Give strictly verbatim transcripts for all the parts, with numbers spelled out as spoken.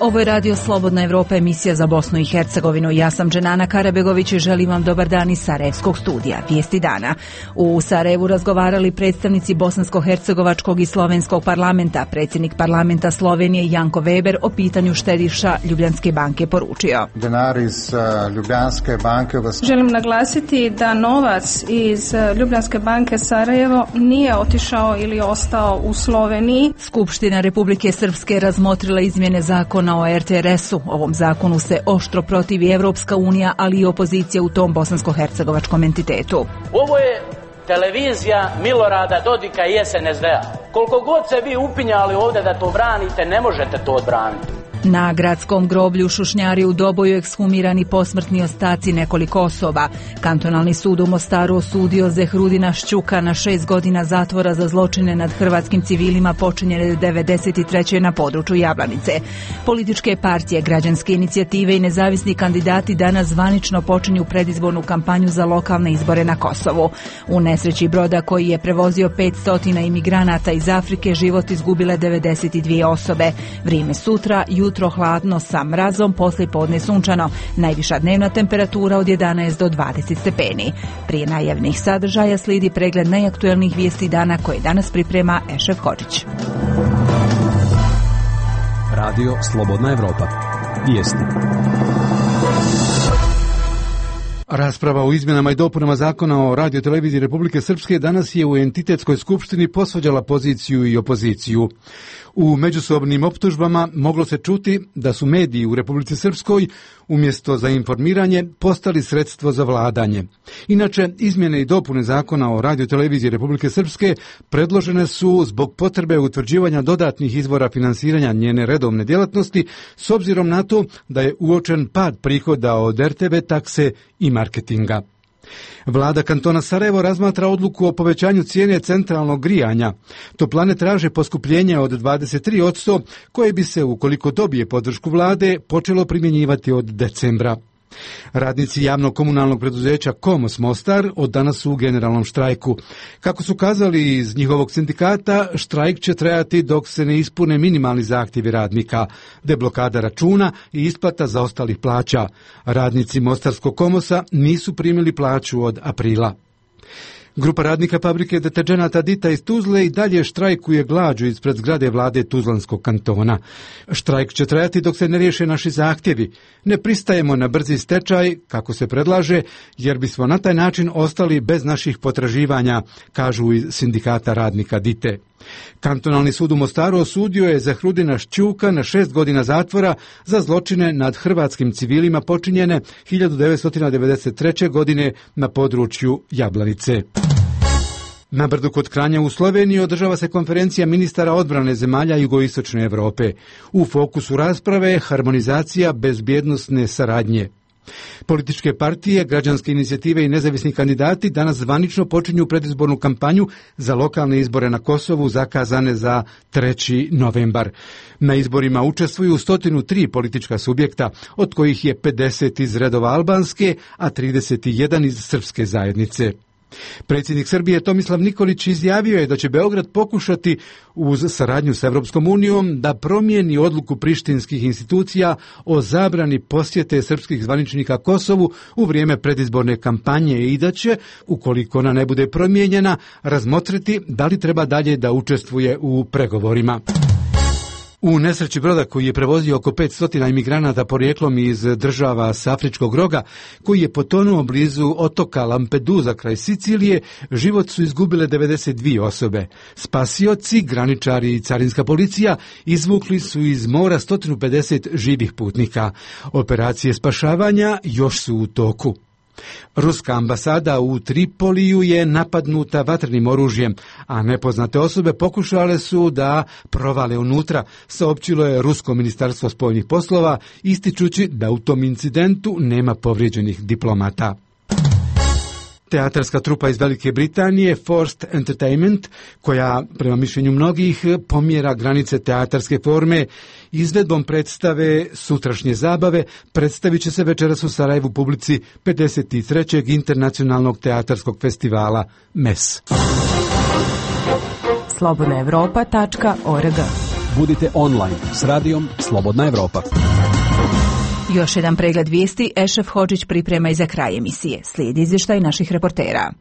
Ovo je Radio Slobodna Evropa, emisija za Bosnu i Hercegovinu. Ja sam Dženana Karabegović i želim vam dobar dan iz Sarajevskog studija. Vijesti dana. U Sarajevu razgovarali predstavnici Bosansko-hercegovačkog i Slovenskog parlamenta. Predsjednik parlamenta Slovenije Janko Weber o pitanju štediša Ljubljanske banke poručio. Denar iz Ljubljanske banke vas... Želim naglasiti da novac iz Ljubljanske banke Sarajevo nije otišao ili ostao u Sloveniji. Skupština Republike Srpske razmotrila izmjene zakona o er te er esu. Ovom zakonu se oštro protivi Evropska unija, ali i opozicija u tom bosansko-hercegovačkom entitetu. Ovo je televizija Milorada Dodika i es en es de-a. Koliko god se vi upinjali ovdje da to branite, ne možete to odbraniti. Na gradskom groblju Šušnjari u Doboju ekshumirani posmrtni ostaci nekoliko osoba. Kantonalni sud u Mostaru osudio Zehrudina Šćuka na šest godina zatvora za zločine nad hrvatskim civilima počinjene devedeset treće na području Jablanice. Političke partije, građanske inicijative i nezavisni kandidati danas zvanično počinju predizbornu kampanju za lokalne izbore na Kosovu. U nesreći broda koji je prevozio petsto imigranata iz Afrike život izgubile devedeset dvije osobe. Vrijeme sutra, jutro hladno sa mrazom, poslije podne sunčano. Najviša dnevna temperatura od jedanaest do dvadeset stepeni. Prije najavnih sadržaja slijedi pregled najaktuelnijih vijesti dana koje danas priprema Ešef Hodžić. Radio Slobodna Evropa. Vijesti. Rasprava o izmjenama i dopunama zakona o radioteleviziji Republike Srpske danas je u entitetskoj skupštini posvađala poziciju i opoziciju. U međusobnim optužbama moglo se čuti da su mediji u Republici Srpskoj umjesto za informiranje postali sredstvo za vladanje. Inače, izmjene i dopune zakona o radioteleviziji Republike Srpske predložene su zbog potrebe utvrđivanja dodatnih izvora finansiranja njene redovne djelatnosti s obzirom na to da je uočen pad prihoda od er te ve takse i marketinga. Vlada kantona Sarajevo razmatra odluku o povećanju cijene centralnog grijanja. Toplane traže poskupljenje od dvadeset tri posto koje bi se, ukoliko dobije podršku vlade, počelo primjenjivati od decembra. Radnici javnog komunalnog preduzeća Komos Mostar od danas su u generalnom štrajku. Kako su kazali iz njihovog sindikata, štrajk će trajati dok se ne ispune minimalni zahtjevi radnika, deblokada računa i isplata zaostalih plaća. Radnici Mostarskog Komosa nisu primili plaću od aprila. Grupa radnika fabrike deterđenata Dita iz Tuzle i dalje štrajkuje glađu ispred zgrade vlade Tuzlanskog kantona. Štrajk će trajati dok se ne riješe naši zahtjevi. Ne pristajemo na brzi stečaj, kako se predlaže, jer bismo na taj način ostali bez naših potraživanja, kažu iz sindikata radnika Dite. Kantonalni sud u Mostaru osudio je Zehrudina Šćuka na šest godina zatvora za zločine nad hrvatskim civilima počinjene hiljadu devetsto devedeset treće. godine na području Jablanice. Na Brdu kod Kranja u Sloveniji održava se konferencija ministara odbrane zemalja jugoistočne Europe. U fokusu rasprave je harmonizacija bezbjednosne saradnje. Političke partije, građanske inicijative i nezavisni kandidati danas zvanično počinju predizbornu kampanju za lokalne izbore na Kosovu zakazane za treći novembar. Na izborima učestvuju sto tri politička subjekta, od kojih je pedeset iz redova albanske, a trideset jedan iz srpske zajednice. Predsjednik Srbije Tomislav Nikolić izjavio je da će Beograd pokušati uz saradnju s Evropskom unijom da promijeni odluku prištinskih institucija o zabrani posjete srpskih zvaničnika Kosovu u vrijeme predizborne kampanje i da će, ukoliko ona ne bude promijenjena, razmotriti da li treba dalje da učestvuje u pregovorima. U nesreći broda koji je prevozio oko petsto imigranata porijeklom iz država s Afričkog roga, koji je potonuo blizu otoka Lampedusa kraj Sicilije, život su izgubile devedeset dvije osobe. Spasioci, graničari i carinska policija izvukli su iz mora sto pedeset živih putnika. Operacije spašavanja još su u toku. Ruska ambasada u Tripoliju je napadnuta vatrenim oružjem, a nepoznate osobe pokušale su da provale unutra, saopćilo je Rusko ministarstvo spoljnih poslova, ističući da u tom incidentu nema povrijeđenih diplomata. Teatarska trupa iz Velike Britanije, Forced Entertainment, koja prema mišljenju mnogih pomjera granice teatarske forme, izvedbom predstave Sutrašnje zabave predstavit će se večeras u Sarajevu publici pedeset trećeg internacionalnog teatarskog festivala M E S. slobodna evropa tačka org. Budite online s radijom Slobodna Evropa. Još jedan pregled vijesti Ešef Hodžić priprema i za kraj emisije. Slijedi izvještaj naših reportera.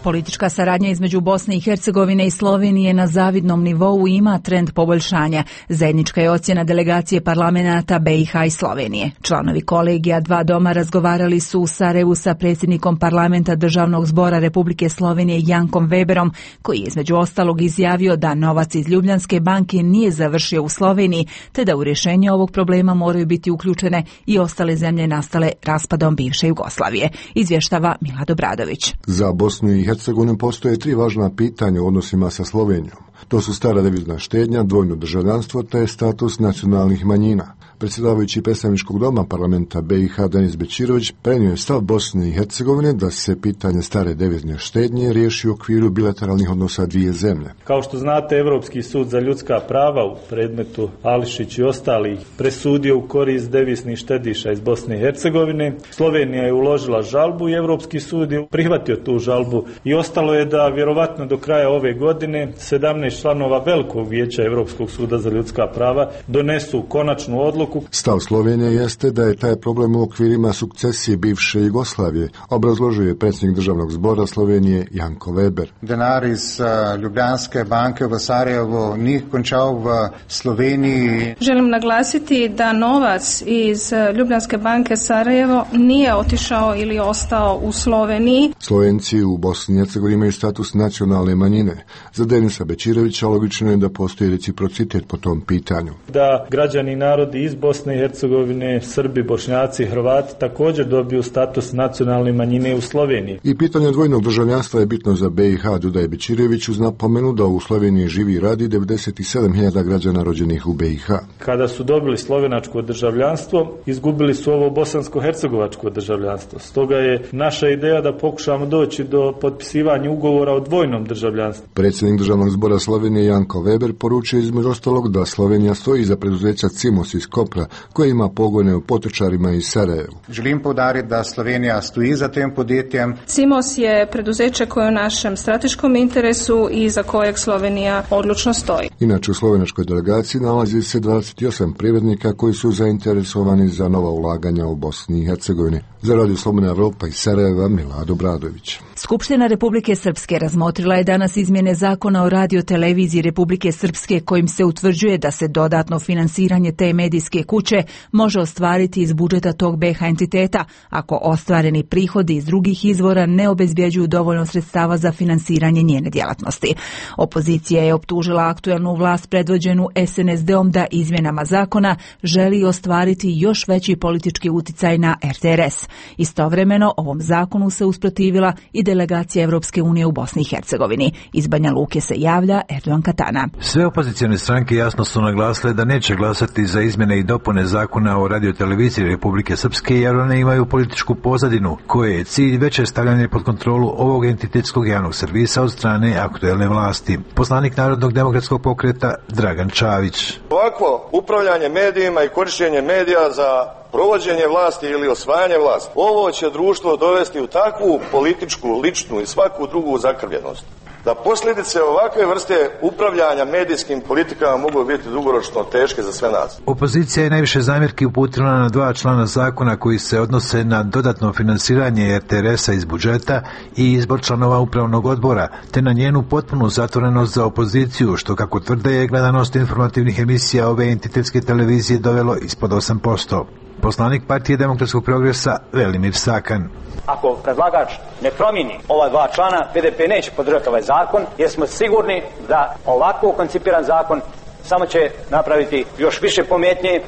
Politička saradnja između Bosne i Hercegovine i Slovenije na zavidnom nivou ima trend poboljšanja. Zajednička je ocjena delegacije parlamenata B i H i Slovenije. Članovi kolegija dva doma razgovarali su u Sarajevu sa predsjednikom parlamenta Državnog zbora Republike Slovenije Jankom Weberom, koji je između ostalog izjavio da novac iz Ljubljanske banke nije završio u Sloveniji, te da u rješenje ovog problema moraju biti uključene i ostale zemlje nastale raspadom bivše Jugoslavije. Izvještava Milad Obradović. Za Bosnu i Hercegovini postoje tri važna pitanja u odnosima sa Slovenijom. To su stara devizna štednja, dvojno državljanstvo te status nacionalnih manjina. Predsjedavajući predstavničkog doma parlamenta B i H Denis Bećirović prenio je stav Bosne i Hercegovine da se pitanje stare devizne štednje riješi u okviru bilateralnih odnosa dvije zemlje. Kao što znate, Europski sud za ljudska prava u predmetu Ališić i ostalih presudio u korist deviznih štediša iz Bosne i Hercegovine. Slovenija je uložila žalbu i Europski sud je prihvatio tu žalbu i ostalo je da vjerovatno do kraja ove godine sedamnaest članova Velikog vijeća Europskog suda za ljudska prava donesu konačnu odluku. Stav Slovenije jeste da je taj problem u okvirima sukcesije bivše Jugoslavije, obrazložio je predsjednik Državnog zbora Slovenije Janko Weber. Denar iz uh, Ljubljanske banke v Sarajevu ni končal v Sloveniji. Želim naglasiti da novac iz Ljubljanske banke Sarajevo nije otišao ili ostao u Sloveniji. Slovenci u Bosni i Hercegovini imaju status nacionalne manjine. Za Denisa Bećirovića logično je da postoji reciprocitet po tom pitanju. Da građani i narodi iz Bosne i Hercegovine, Srbi, Bošnjaci, Hrvati također dobiju status nacionalne manjine u Sloveniji. I pitanje dvojnog državljanstva je bitno za B i H, dodaje Bećirović uz napomenu da u Sloveniji živi i radi devedeset sedam hiljada građana rođenih u B i H. Kada su dobili slovenačko državljanstvo, izgubili su ovo bosansko-hercegovačko državljanstvo. Stoga je naša ideja da pokušamo doći do potpisivanja ugovora o dvojnom državljanstvu. Predsjednik Državnog zbora Slovenije Janko Weber poručio između ostalog da Slovenija stoji iza preduzeća Cimos iz Kopra, koje ima pogone u Potočarima i Sarajevu. Želim poudariti da Slovenija stoji za tem podjetjem. Cimos je preduzeće koje je u našem strateškom interesu i za kojeg Slovenija odlučno stoji. Inače u slovenačkoj delegaciji nalazi se dvadeset osam privrednika koji su zainteresovani za nova ulaganja u Bosni i Hercegovini. Za Radio Slobodna Evropa iz Sarajeva, Milad Obradović. Skupština Republike Srpske razmotrila je danas izmjene zakona o radioteleviziji Republike Srpske kojim se utvrđuje da se dodatno finansiranje te medijske kuće može ostvariti iz budžeta tog B H entiteta ako ostvareni prihodi iz drugih izvora ne obezbjeđuju dovoljno sredstava za finansiranje njene djelatnosti. Opozicija je optužila aktuelnu vlast predvođenu S N S D-om da izmjenama zakona želi ostvariti još veći politički uticaj na R T R S. Istovremeno ovom zakonu se usprotivila i delegacija Evropske unije u Bosni i Hercegovini. Iz Banja Luke se javlja Erdogan Katana. Sve opozicijone stranke jasno su naglasile da neće glasati za izmjene i dopune zakona o radioteleviziji Republike Srpske jer one imaju političku pozadinu koje je cilj veće stavljanje pod kontrolu ovog entitetskog javnog servisa od strane aktuelne vlasti. Poslanik Narodnog demokratskog pokreta Dragan Čavić. Ovakvo upravljanje medijima i korištenje medija za provođenje vlasti ili osvajanje vlasti, ovo će društvo dovesti u takvu političku, ličnu i svaku drugu zakrvljenost, da posljedice ovakve vrste upravljanja medijskim politikama mogu biti dugoročno teške za sve nas. Opozicija je najviše zamjerki uputila na dva člana zakona koji se odnose na dodatno finansiranje R T R S-a iz budžeta i izbor članova upravnog odbora, te na njenu potpunu zatvorenost za opoziciju, što kako tvrde je gledanost informativnih emisija ove entitetske televizije dovelo ispod osam posto. Poslanik Partije demokratskog progresa Velimir Sakan. Ako predlagač ne promijeni ova dva člana, P D P neće podržati ovaj zakon, jer smo sigurni da ovako koncipiran zakon samo će napraviti još više pometnje,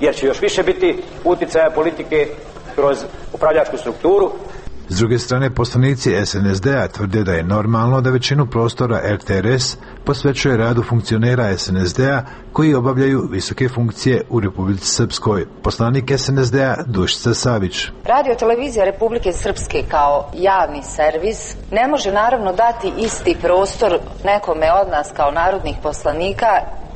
jer će još više biti uticaja politike kroz upravljačku strukturu. S druge strane, poslanici es en es de a tvrde da je normalno da većinu prostora er te er es posvećuje radu funkcionera es en es de a koji obavljaju visoke funkcije u Republici Srpskoj. Poslanik es en es de a Dušica Savić. Radio televizija Republike Srpske kao javni servis ne može naravno dati isti prostor nekome od nas kao narodnih poslanika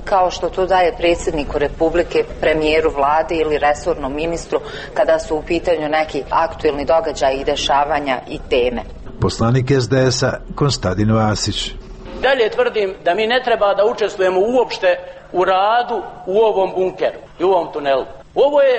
kao što to daje predsjedniku Republike, premijeru vlade ili resornom ministru kada su u pitanju neki aktuelni događaji i dešavanja i teme. Poslanik es de es a Konstantin Vasić. Dalje tvrdim da mi ne treba da učestvujemo uopšte u radu u ovom bunkeru i u ovom tunelu. Ovo je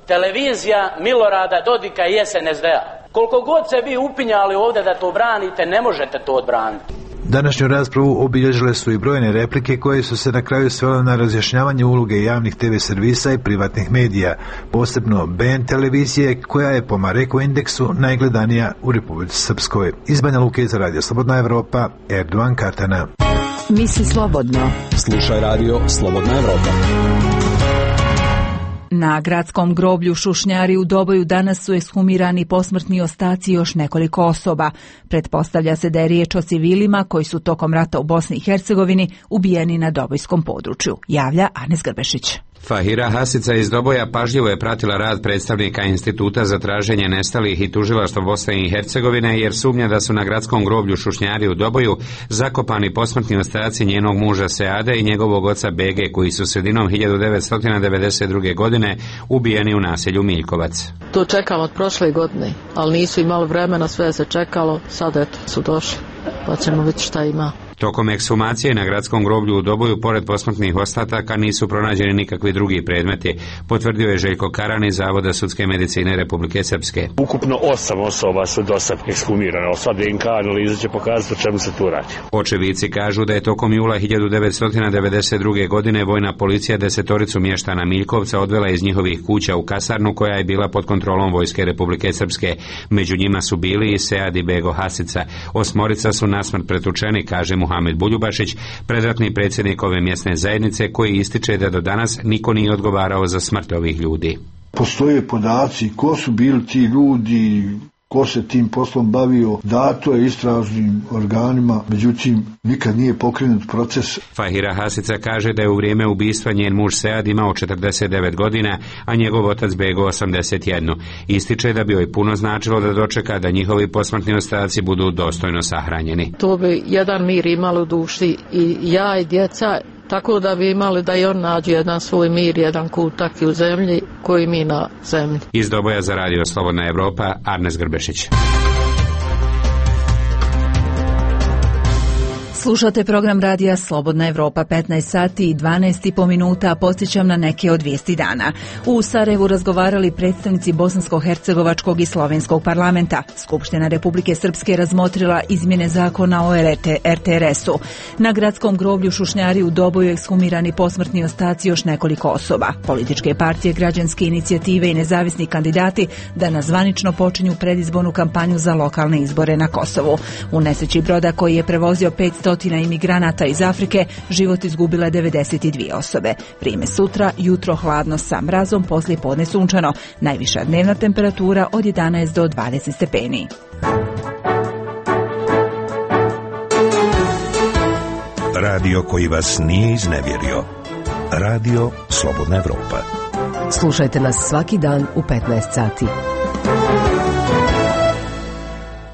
televizija Milorada Dodika i es en es de a. Koliko god se vi upinjali ovdje da to branite, ne možete to odbraniti. Današnju raspravu obilježile su i brojne replike koje su se na kraju svele na razjašnjavanje uloge javnih te ve servisa i privatnih medija, posebno be en televizije koja je po Mareko indeksu najgledanija u Republici Srpskoj. Iz Banja Luke za Radio Slobodna Evropa, Erdovan Kartana. Misli slobodno. Slušaj Radio Slobodna Evropa. Na gradskom groblju Šušnjari u Doboju danas su ekshumirani posmrtni ostaci još nekoliko osoba. Pretpostavlja se da je riječ o civilima koji su tokom rata u Bosni i Hercegovini ubijeni na dobojskom području, javlja Anes Grbešić. Fahira Hasica iz Doboja pažljivo je pratila rad predstavnika Instituta za traženje nestalih i tužilaštva Bosne i Hercegovine jer sumnja da su na gradskom groblju Šušnjari u Doboju zakopani posmrtni ostaci njenog muža Seade i njegovog oca Bege koji su sredinom hiljadu devetsto devedeset druge. godine ubijeni u naselju Miljkovac. To čekamo od prošle godine, ali nisu imali vremena, sve se čekalo, sad eto su došli, pa ćemo vidjeti šta ima. Tokom ekshumacije na gradskom groblju u Doboju, pored posmrtnih ostataka, nisu pronađeni nikakvi drugi predmeti, potvrdio je Željko Karan iz Zavoda sudske medicine Republike Srpske. Ukupno osam osoba su do sad ekshumirane, sad de en ka analiza će pokazati o čemu se tu radi. Očevici kažu da je tokom jula hiljadu devetsto devedeset druge. godine vojna policija desetoricu mještana Miljkovca odvela iz njihovih kuća u kasarnu koja je bila pod kontrolom vojske Republike Srpske. Među njima su bili i Sead i Bego Hasica. Osmorica su nasmrt pretučeni, kaže mu Muhamed Buljubašić, predratni predsjednik ove mjesne zajednice, koji ističe da do danas niko nije odgovarao za smrt ovih ljudi. Postoje podaci ko su bili ti ljudi, ko se tim poslom bavio, dato je istražnim organima, međutim nikad nije pokrenut proces. Fahira Hasica kaže da je u vrijeme ubistva njen muž Sead imao četrdeset devet godina, a njegov otac Bego osamdeset jedan. Ističe da bi joj puno značilo da dočeka da njihovi posmrtni ostaci budu dostojno sahranjeni. To bi jedan mir imali u duši i ja i djeca, tako da bi imali da i on nađe jedan svoj mir, jedan kutak u zemlji koji mi na zemlji. Iz Doboja za Radio Slobodna Evropa, Arnes Grbešić. Slušate program radija Slobodna Evropa, petnaest sati i dvanaest i po minuta, podsjećam na neke od vijesti dana. U Sarajevu razgovarali predstavnici Bosansko-hercegovačkog i Slovenskog parlamenta. Skupština Republike Srpske razmotrila izmjene zakona o er te er esu. Na gradskom groblju Šušnjari u Doboju ekshumirani posmrtni ostaci još nekoliko osoba. Političke partije, građanske inicijative i nezavisni kandidati danas zvanično počinju predizbornu kampanju za lokalne izbore na Kosovu. U nesreći broda koji je prevozio petsto imigranata iz Afrike život izgubile devedeset dvije osobe. Vrijeme sutra, jutro hladno sa mrazom, poslije podne sunčano. Najviša dnevna temperatura od jedanaest do dvadeset stepeni. Radio koji vas nije iznevjerio. Radio Slobodna Evropa. Slušajte nas svaki dan u petnaest sati.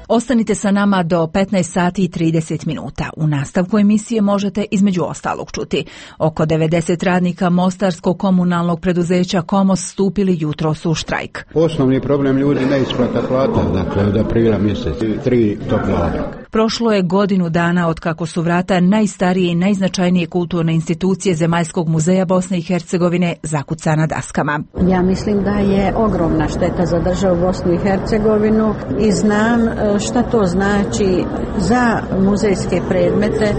Ostanite sa nama do petnaest sati i trideset minuta. U nastavku emisije možete između ostalog čuti. Oko devedeset radnika Mostarskog komunalnog preduzeća Komos stupili jutros u štrajk. Osnovni problem ljudi neisplata plata, dakle od aprila mjesec, tri topla obroka. Prošlo je godinu dana od kako su vrata najstarije i najznačajnije kulturne institucije Zemaljskog muzeja Bosne i Hercegovine zakucana daskama. Ja mislim da je ogromna šteta za državu Bosnu i Hercegovinu i znam šta to znači za muzejske predmete.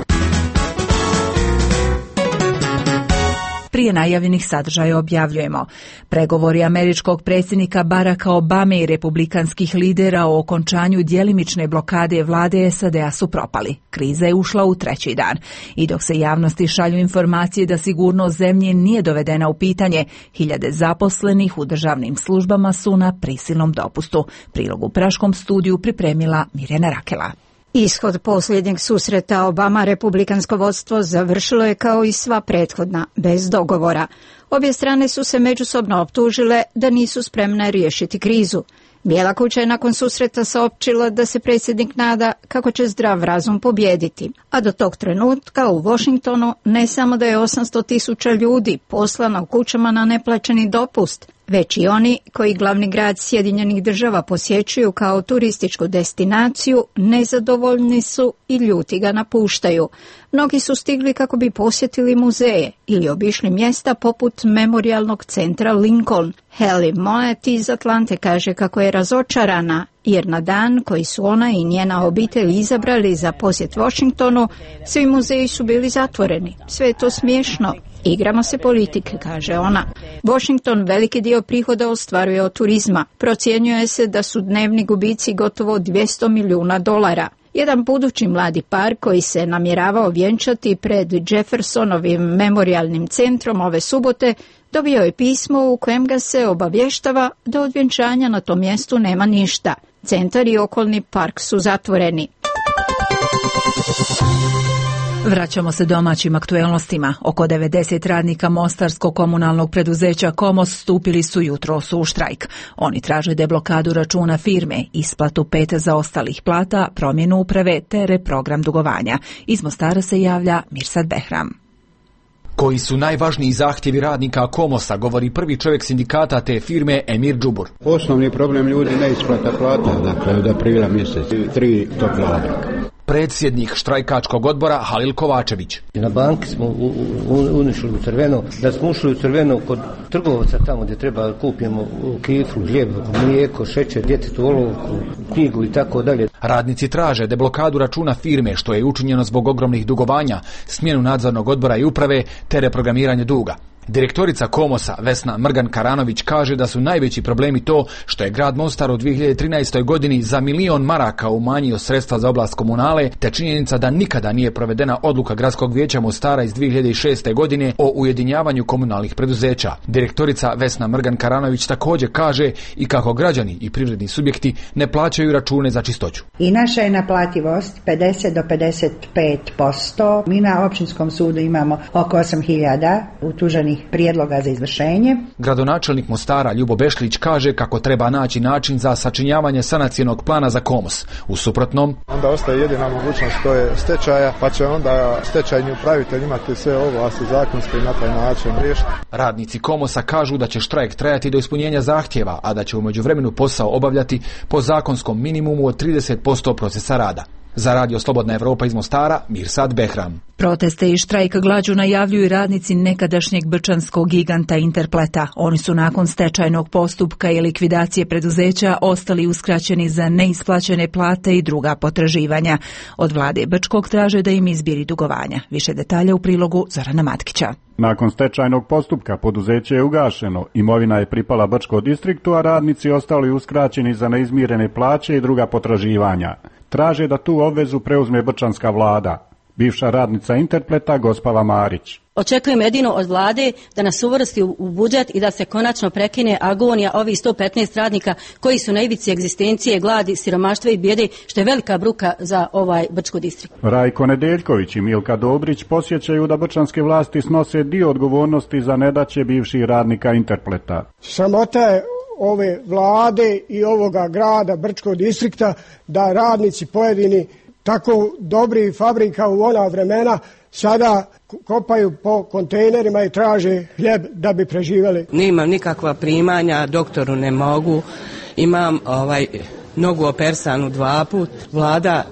prije najavljenih sadržaja objavljujemo. Pregovori američkog predsjednika Baracka Obame i republikanskih lidera o okončanju djelimične blokade vlade S A D-a su propali. Kriza je ušla u treći dan. I dok se javnosti šalju informacije da sigurnost zemlje nije dovedena u pitanje, hiljade zaposlenih u državnim službama su na prisilnom dopustu. Prilog u Praškom studiju pripremila Mirjana Rakela. Ishod posljednjeg susreta Obama republikansko vodstvo završilo je kao i sva prethodna, bez dogovora. Obje strane su se međusobno optužile da nisu spremne riješiti krizu. Bijela kuća je nakon susreta saopćila da se predsjednik nada kako će zdrav razum pobijediti. A do tog trenutka u Washingtonu ne samo da je osamsto tisuća ljudi poslano u kućama na neplaćeni dopust, već i oni koji glavni grad Sjedinjenih Država posjećuju kao turističku destinaciju, nezadovoljni su i ljuti ga napuštaju. Mnogi su stigli kako bi posjetili muzeje ili obišli mjesta poput memorijalnog centra Lincoln. Haley Monet iz Atlante kaže kako je razočarana jer na dan koji su ona i njena obitelj izabrali za posjet Washingtonu, svi muzeji su bili zatvoreni. Sve je to smiješno. Igramo se politike, kaže ona. Washington veliki dio prihoda ostvaruje od turizma. Procjenjuje se da su dnevni gubici gotovo dvjesto milijuna dolara. Jedan budući mladi par koji se namjeravao vjenčati pred Jeffersonovim memorijalnim centrom ove subote dobio je pismo u kojem ga se obavještava da od vjenčanja na tom mjestu nema ništa. Centar i okolni park su zatvoreni. Vraćamo se domaćim aktuelnostima. Oko devedeset radnika mostarskog komunalnog preduzeća Komos stupili su jutros u štrajk. Oni traže deblokadu računa firme, isplatu pet zaostalih plata, promjenu uprave te reprogram dugovanja. Iz Mostara se javlja Mirsad Behram. Koji su najvažniji zahtjevi radnika Komosa, govori prvi čovjek sindikata te firme Emir Džubur. Osnovni problem ljudi neisplata plata, dakle od aprila mjesec, tri tople obraka. Predsjednik štrajkačkog odbora Halil Kovačević. Na banki smo unišli u crveno, da smo ušli u crveno kod trgovaca tamo gdje treba kupimo kiflu, hljeb, mlijeko, šećer, djetetu olovku, knjigu i tako dalje. Radnici traže deblokadu računa firme što je učinjeno zbog ogromnih dugovanja, smjenu nadzornog odbora i uprave te reprogramiranje duga. Direktorica Komosa Vesna Mrgan-Karanović kaže da su najveći problemi to što je grad Mostar u dvije hiljade trinaestoj. godini za milion maraka umanjio sredstva za oblast komunale, te činjenica da nikada nije provedena odluka Gradskog vijeća Mostara iz dvije hiljade šeste. godine o ujedinjavanju komunalnih preduzeća. Direktorica Vesna Mrgan-Karanović također kaže i kako građani i privredni subjekti ne plaćaju račune za čistoću. I naša je naplativost pedeset do pedeset pet posto. Mi na općinskom sudu imamo oko osam hiljada utuženih prijedloga za izvršenje. Gradonačelnik Mostara Ljubo Bešlić kaže kako treba naći način za sačinjavanje sanacionog plana za Komos. U suprotnom, onda ostaje jedina mogućnost, to je stečaja, pa će onda stečajni upravitelj imati sve ovlasti zakonske i na taj način riješiti. Radnici Komosa kažu da će štrajk trajati do ispunjenja zahtjeva, a da će u međuvremenu posao obavljati po zakonskom minimumu od trideset posto procesa rada. Za Radio Slobodna Evropa iz Mostara, Mirsad Behram. Proteste i štrajk glađu najavljuju radnici nekadašnjeg brčanskog giganta Interpleta. Oni su nakon stečajnog postupka i likvidacije preduzeća ostali uskraćeni za neisplaćene plate i druga potraživanja. Od vlade Brčkog traže da im izbiri dugovanja. Više detalja u prilogu Zorana Matkića. Nakon stečajnog postupka poduzeće je ugašeno, imovina je pripala Brčko distriktu, a radnici ostali uskraćeni za neizmirene plaće i druga potraživanja. Traže da tu obvezu preuzme brčanska vlada. Bivša radnica Interpleta Gospava Marić. Očekujem jedino od vlade da nas uvrsti u budžet i da se konačno prekine agonija ovih sto petnaest radnika koji su na ivici egzistencije, gladi, siromaštva i bijede, što je velika bruka za ovaj Brčko distrikt. Rajko Nedeljković i Milka Dobrić posjećaju da brčanske vlasti snose dio odgovornosti za nedaće bivših radnika Interpleta. Sramota je ove vlade i ovoga grada Brčkog distrikta da radnici pojedini tako dobri fabrika u ona vremena sada kopaju po kontejnerima i traže hljeb da bi preživjeli. Nemam nikakva primanja, doktoru ne mogu, imam ovaj nogu opersanu dva put, vlada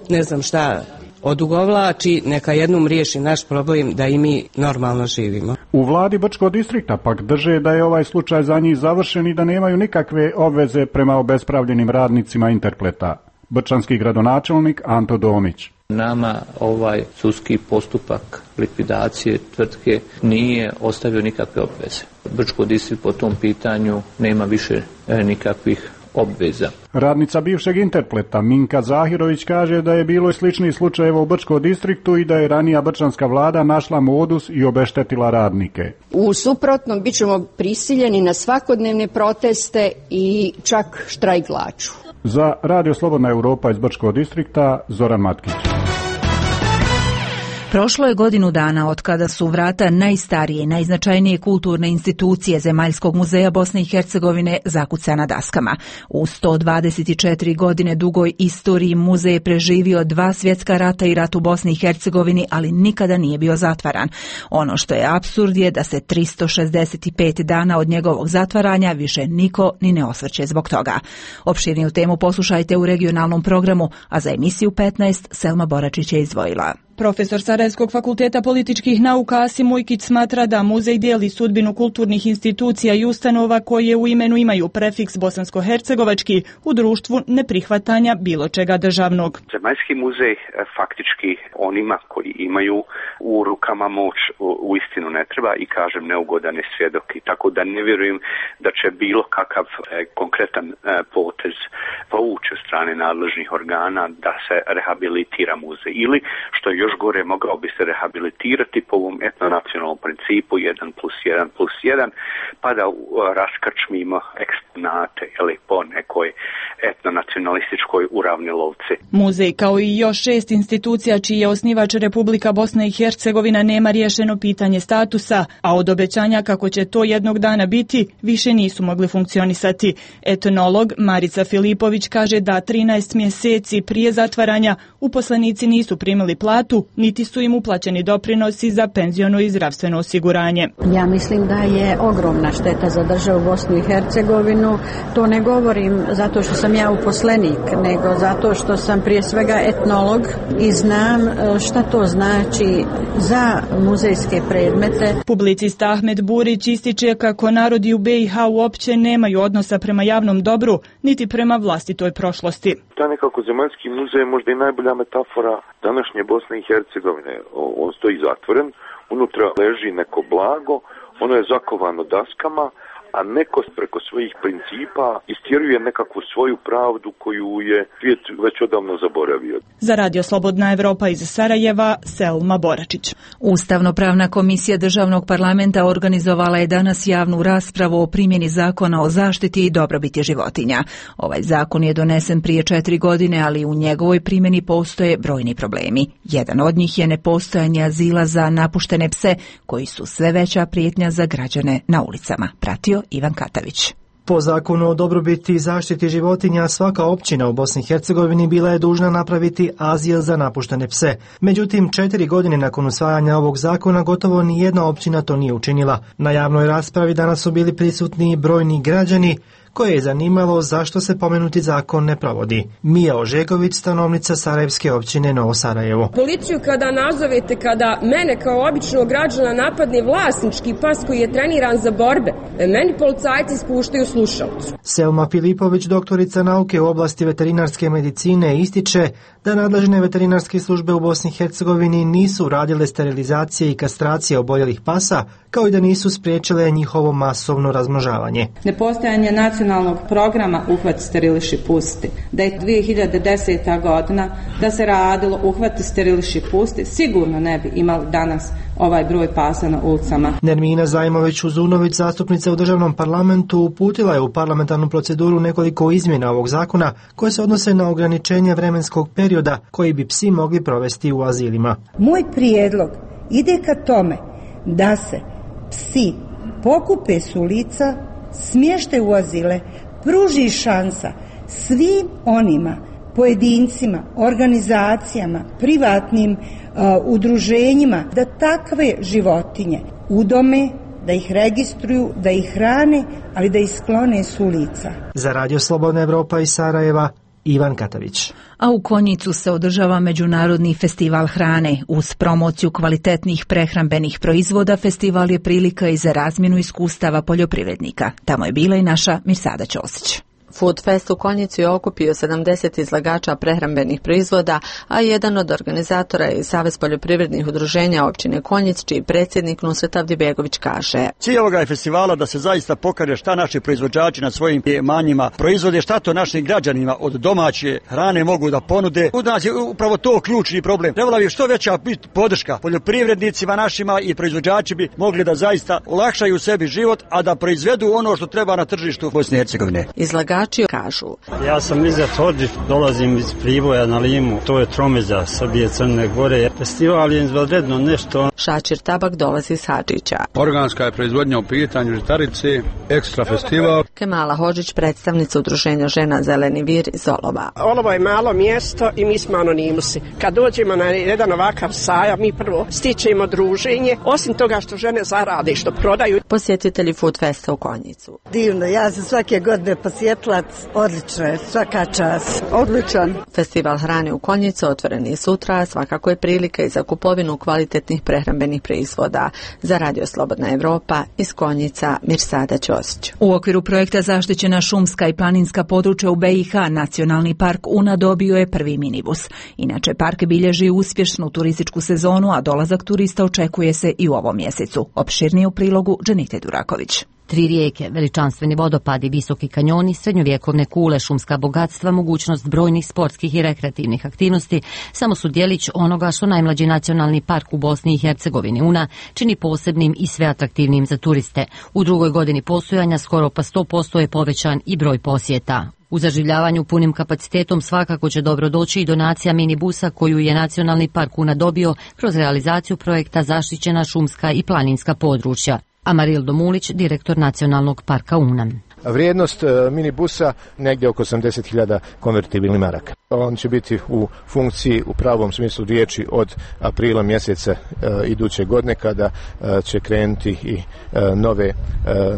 ne znam šta odugovlači, neka jednom riješi naš problem da i mi normalno živimo. U vladi Brčkog distrikta pak drže da je ovaj slučaj za njih završen i da nemaju nikakve obveze prema obespravljenim radnicima Interpleta. Brčanski gradonačelnik Anto Domić. Nama ovaj sudski postupak likvidacije tvrtke nije ostavio nikakve obveze. Brčko distrikt po tom pitanju nema više nikakvih obveza. Radnica bivšeg Interpleta Minka Zahirović kaže da je bilo i sličnih slučajeva u Brčkom distriktu i da je ranija brčanska vlada našla modus i obeštetila radnike. U suprotnom bit ćemo prisiljeni na svakodnevne proteste i čak štrajk glađu. Za Radio Slobodna Europa iz Brčkog distrikta, Zoran Matkić. Prošlo je godinu dana od kada su vrata najstarije i najznačajnije kulturne institucije Zemaljskog muzeja Bosne i Hercegovine zakucana daskama. U sto dvadeset četiri godine dugoj istoriji muzej je preživio dva svjetska rata i rat u Bosni i Hercegovini, ali nikada nije bio zatvaran. Ono što je apsurd je da se tristo šezdeset pet dana od njegovog zatvaranja više niko ni ne osvrće zbog toga. Opširniju temu poslušajte u regionalnom programu, a za emisiju petnaest Selma Boračić je izdvojila. Profesor Sarajevskog fakulteta političkih nauka Asim Ujkić smatra da muzej dijeli sudbinu kulturnih institucija i ustanova koje u imenu imaju prefiks bosansko-hercegovački u društvu neprihvatanja bilo čega državnog. Zemaljski muzej faktički onima koji imaju u rukama moć u istinu ne treba i kažem neugodane svjedoki, tako da ne vjerujem da će bilo kakav konkretan potez povući od strane nadležnih organa da se rehabilitira muzej ili što je još gore mogao bi se rehabilitirati po ovom etnonacionalnom principu jedan plus jedan plus jedan pa da raskrčmimo eksponate ili po nekoj etnonacionalističkoj uravnilovci. Muzej kao i još šest institucija čiji je osnivač Republika Bosna i Hercegovina nema riješeno pitanje statusa, a od obećanja kako će to jednog dana biti više nisu mogli funkcionisati. Etnolog Marica Filipović kaže da trinaest mjeseci prije zatvaranja uposlenici nisu primili platu, niti su im uplaćeni doprinosi za penziono i zdravstveno osiguranje. Ja mislim da je ogromna šteta za državu Bosnu i Hercegovinu. To ne govorim zato što sam ja uposlenik, nego zato što sam prije svega etnolog i znam šta to znači za muzejske predmete. Publicista Ahmed Burić ističe kako narodi u be i ha uopće nemaju odnosa prema javnom dobru, niti prema vlastitoj prošlosti. To nekako Zemaljski muzej je možda i najbolja metafora današnje Bosne i Hercegovine. On stoji zatvoren, unutra leži neko blago, ono je zakovano daskama, a neko preko svojih principa istjeruje nekakvu svoju pravdu koju je svijet već odavno zaboravio. Za Radio Slobodna Evropa iz Sarajeva, Selma Boračić. Ustavno-pravna komisija državnog parlamenta organizovala je danas javnu raspravu o primjeni zakona o zaštiti i dobrobiti životinja. Ovaj zakon je donesen prije četiri godine, ali u njegovoj primjeni postoje brojni problemi. Jedan od njih je nepostojanje azila za napuštene pse, koji su sve veća prijetnja za građane na ulicama. Pratio Ivan Katavić. Po zakonu o dobrobiti i zaštiti životinja svaka općina u Bosni i Hercegovini bila je dužna napraviti azil za napuštene pse. Međutim, četiri godine nakon usvajanja ovog zakona gotovo ni jedna općina to nije učinila. Na javnoj raspravi danas su bili prisutni brojni građani koje je zanimalo zašto se pomenuti zakon ne provodi. Mija Ožegović, stanovnica Sarajevske općine Novo Sarajevo. Policiju kada nazovete, kada mene kao običnog građana napadne vlasnički pas koji je treniran za borbe, meni policajci spuštaju slušalicu. Selma Filipović, doktorica nauke u oblasti veterinarske medicine, ističe da nadležne veterinarske službe u Bosni i Hercegovini nisu radile sterilizacije i kastracije oboljelih pasa, kao i da nisu spriječile njihovo masovno razmnožavanje. Nepostojanje nacionalnog programa Uhvat steriliši pusti, da je dvije hiljade deseta godina da se radilo Uhvat steriliši pusti, sigurno ne bi imali danas ovaj broj pasa na ulicama. Nermina Zajmović-Uzunović, zastupnica u državnom parlamentu, uputila je u parlamentarnu proceduru nekoliko izmjena ovog zakona koje se odnose na ograničenje vremenskog perioda koji bi psi mogli provesti u azilima. Moj prijedlog ide ka tome da se psi pokupe s ulica, smješte u azile, pruži šansa svim onima pojedincima, organizacijama, privatnim uh, udruženjima da takve životinje udome, da ih registruju, da ih hrane, ali da ih sklone s ulica. Za Radio Slobodna Evropa iz Sarajeva, Ivan Katavić. A u Konjicu se održava Međunarodni festival hrane. Uz promociju kvalitetnih prehrambenih proizvoda, festival je prilika i za razmjenu iskustava poljoprivrednika. Tamo je bila i naša Mirsada Ćosić. Food Fest u Konjicu je okupio sedamdeset izlagača prehrambenih proizvoda, a jedan od organizatora je Savez poljoprivrednih udruženja općine Konjic, čiji predsjednik Nusret Avdibegović kaže. Cilj ovoga je festivala da se zaista pokaže šta naši proizvođači na svojim imanjima proizvode, šta to našim građanima od domaće hrane mogu da ponude. U nas je upravo to ključni problem. Trebala bi što veća biti podrška poljoprivrednicima našima i proizvođači bi mogli da zaista olakšaju sebi život, a da proizvedu ono što treba na tržištu Bosne i Hercegovine. Izlagači kažu. Ja sam Izet Hodžić, dolazim iz Priboja na Limu, to je tromeđa Srbije, Crne Gore. Festival je izvanredno nešto. Šačir Tabak dolazi iz Hadžića. Organska je proizvodnja u pitanju žitarice, ekstra festival. Kemala Hodžić, predstavnica udruženja žena Zeleni vir iz Olova. Olovo je malo mjesto i mi smo anonimusi. Kad dođemo na jedan ovakav sajam, mi prvo stičemo druženje, osim toga što žene zarade, što prodaju. Posjetitelji Food Festa u Konjicu. Divno, ja sam svake godine posjetlac, odlično je, svaka čast. Odličan. Festival hrane u Konjicu otvoren je sutra, a svakako je prilika i za kupovinu kvalitetnih prehrambenih proizvoda. Za Radio Slobodna Evropa iz Konjica, Mirsada Ćosić. U okviru projekta Zaštićena šumska i planinska područja u B i H, Nacionalni park Una dobio je prvi minibus. Inače, park bilježi uspješnu turističku sezonu, a dolazak turista očekuje se i u ovom mjesecu. Opširnije u prilogu Dženite Duraković. Tri rijeke, veličanstveni vodopadi, visoki kanjoni, srednjovjekovne kule, šumska bogatstva, mogućnost brojnih sportskih i rekreativnih aktivnosti samo su djelić onoga što najmlađi nacionalni park u Bosni i Hercegovini Una čini posebnim i sve atraktivnim za turiste. U drugoj godini postojanja skoro pa sto posto je povećan i broj posjeta. U zaživljavanju punim kapacitetom svakako će dobro doći i donacija minibusa koju je Nacionalni park Una dobio kroz realizaciju projekta Zaštićena šumska i planinska područja. Amarildo Mulić, direktor Nacionalnog parka Una. Vrijednost minibusa negdje oko osamdeset hiljada konvertibilnih maraka. On će biti u funkciji u pravom smislu riječi od aprila mjeseca e, iduće godine kada e, će krenuti i e, nove, e,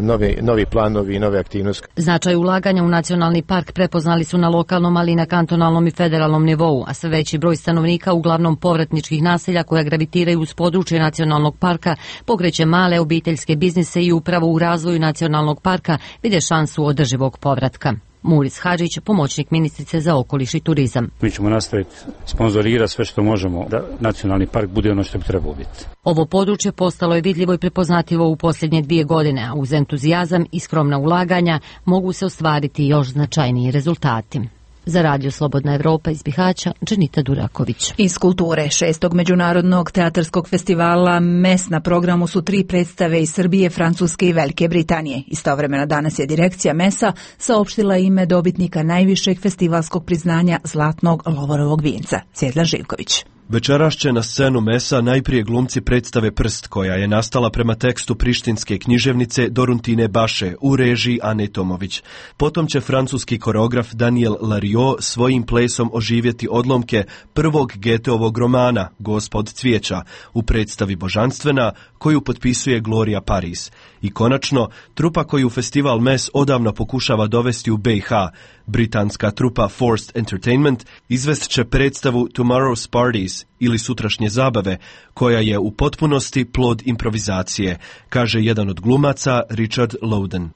nove, novi planovi i nove aktivnosti. Značaj ulaganja u Nacionalni park prepoznali su na lokalnom, ali i na kantonalnom i federalnom nivou, a sve veći broj stanovnika uglavnom povratničkih naselja koja gravitiraju uz područje Nacionalnog parka pokreće male obiteljske biznise i upravo u razvoju Nacionalnog parka vide šansu održivog povratka. Muris Hadžić, pomoćnik ministrice za okoliš i turizam. Mi ćemo nastaviti sponzorirati sve što možemo da Nacionalni park bude ono što bi trebao biti. Ovo područje postalo je vidljivo i prepoznatljivo u posljednje dvije godine, a uz entuzijazam i skromna ulaganja mogu se ostvariti još značajniji rezultati. Za Radio Slobodna Evropa iz Bihaća, Dženita Duraković. Iz kulture šestog međunarodnog teatarskog festivala M E S na programu su tri predstave iz Srbije, Francuske i Velike Britanije. Istovremeno danas je direkcija M E S-a saopštila ime dobitnika najvišeg festivalskog priznanja Zlatnog Lovorovog vinca, Cjedla Živković. Večeras će na scenu M E S-a najprije glumci predstave Prst, koja je nastala prema tekstu prištinske književnice Doruntine Baše u režiji Ane Tomović. Potom će francuski koreograf Daniel Lariot svojim plesom oživjeti odlomke prvog Goetheovog romana Gospod cvijeća u predstavi Božanstvena, koju potpisuje Gloria Paris. I konačno, trupa koju festival M E S odavno pokušava dovesti u B i H, britanska trupa Forced Entertainment, izvest će predstavu Tomorrow's Parties ili Sutrašnje zabave, koja je u potpunosti plod improvizacije, kaže jedan od glumaca, Richard Loudon.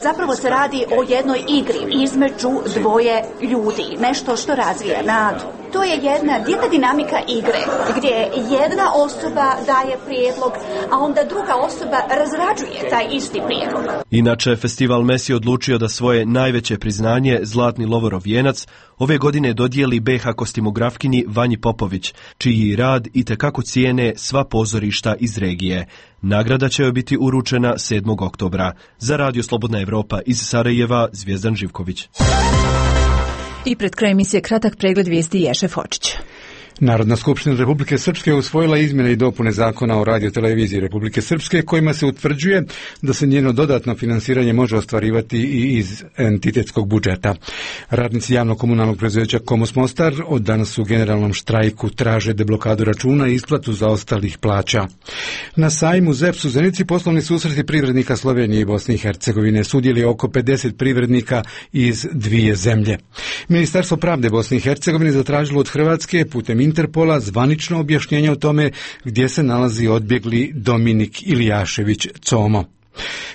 Zapravo se radi o jednoj igri između dvoje ljudi, nešto što razvija nadu. To je jedna divna dinamika igre, gdje jedna osoba daje prijedlog, a onda druga osoba razrađuje taj isti prijedlog. Inače, festival M E S je odlučio da svoje najveće priznanje, Zlatni Lovorov vijenac, ove godine dodijeli B i H kostimografkinji Vanji Popović, čiji rad itekako cijene sva pozorišta iz regije. Nagrada će joj biti uručena sedmog oktobra. Za Radio Slobodna Evropa iz Sarajeva, Zvijezdan Živković. I pred kraj emisije kratak pregled vijesti Ješe Fočić. Narodna skupština Republike Srpske usvojila izmjene i dopune zakona o radioteleviziji Republike Srpske kojima se utvrđuje da se njeno dodatno finansiranje može ostvarivati i iz entitetskog budžeta. Radnici javno-komunalnog preduzeća Komos Mostar od danas u generalnom štrajku traže deblokadu računa i isplatu zaostalih plaća. Na sajmu Z E P S u Zenici poslovni susreti privrednika Slovenije i Bosne i Hercegovine sudjeli oko pedeset privrednika iz dvije zemlje. Ministarstvo pravde Bosne i Hercegovine zatražilo od Hrvatske putem Interpola zvanično objašnjenje o tome gdje se nalazi odbjegli Dominik Ilijašević Como.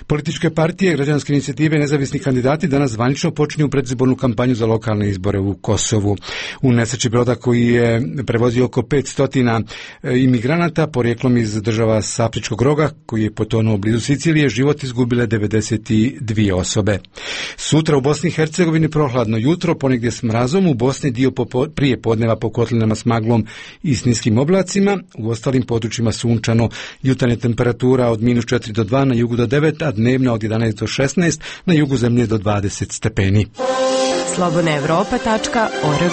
Političke partije, građanske inicijative i nezavisni kandidati danas zvanično počinju predizbornu kampanju za lokalne izbore u Kosovu. U nesreći broda koji je prevozio oko petsto imigranata porijeklom iz država s Afričkog roga, koji je potonuo blizu Sicilije, život izgubile devedeset dvije osobe. Sutra u Bosni i Hercegovini prohladno jutro, ponegdje s mrazom, u Bosni dio popo, prije podneva po kotlinama s maglom i s niskim oblacima, u ostalim područjima sunčano, jutarnja temperatura od minus četiri do dva, na jugu do devet, a dnevna od jedanaest do šesnaest, na jugu zemlje do dvadeset stepeni. slobodna evropa tačka org.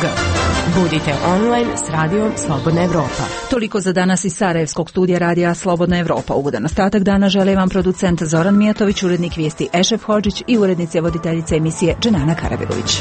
Budite online s radijom Slobodna Evropa. Toliko za danas iz Sarajevskog studija radija Slobodna Evropa. Ugodan ostatak dana žele vam producent Zoran Mijatović, urednik vijesti Ešef Hodžić i urednice voditeljice emisije Dženana Karabegović.